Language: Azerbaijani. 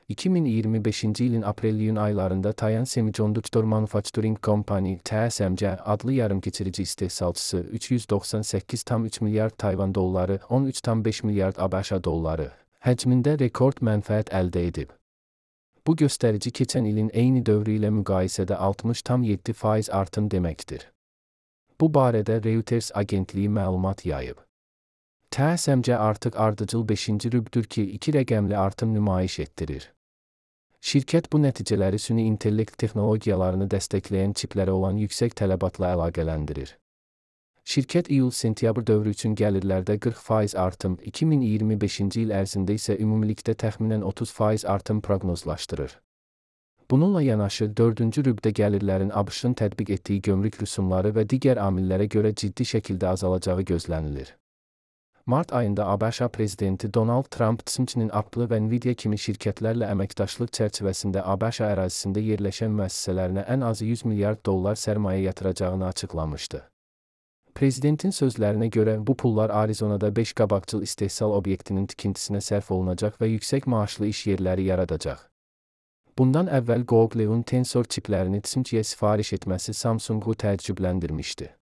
2025-ci ilin aprel-iyun aylarında Taiwan Semiconductor Manufacturing Company (TSMC) adlı yarımkeçirici istehsalçısı 398,3 milyard Tayvan dolları, 13,5 milyard ABŞ dolları həcmində rekord mənfəət əldə edib. Bu göstərici keçən ilin eyni dövrü ilə müqayisədə 60,7% artım deməkdir. Bu barədə Reuters agentliyi məlumat yayıb. TSMC artıq ardıcıl 5-ci rübdür ki, 2 rəqəmli artım nümayiş etdirir. Şirkət bu nəticələri süni intellekt texnologiyalarını dəstəkləyən çiplərə olan yüksək tələbatla əlaqələndirir. Şirkət iyul-sentyabr dövrü üçün gəlirlərdə 40% artım, 2025-ci il ərzində isə ümumilikdə təxminən 30% artım proqnozlaşdırır. Bununla yanaşı, 4-cü rübdə gəlirlərin ABŞ-ın tətbiq etdiyi gömrük rüsumları və digər amillərə görə ciddi şəkildə azalacağı gözlənilir. Mart ayında ABŞ prezidenti Donald Trump TSMC-nin Apple və Nvidia kimi şirkətlərlə əməkdaşlıq çərçivəsində ABŞ ərazisində yerləşən müəssisələrinə ən azı 100 milyard dollar sərmayə yatıracağını açıqlamışdı. Prezidentin sözlərinə görə bu pullar Arizonada 5 qabaqcıl istehsal obyektinin tikintisinə sərf olunacaq və yüksək maaşlı iş yerləri yaradacaq. Bundan əvvəl Google'un Tensor çiplərini TSMC-yə sifariş etməsi Samsungu təəccübləndirmişdi.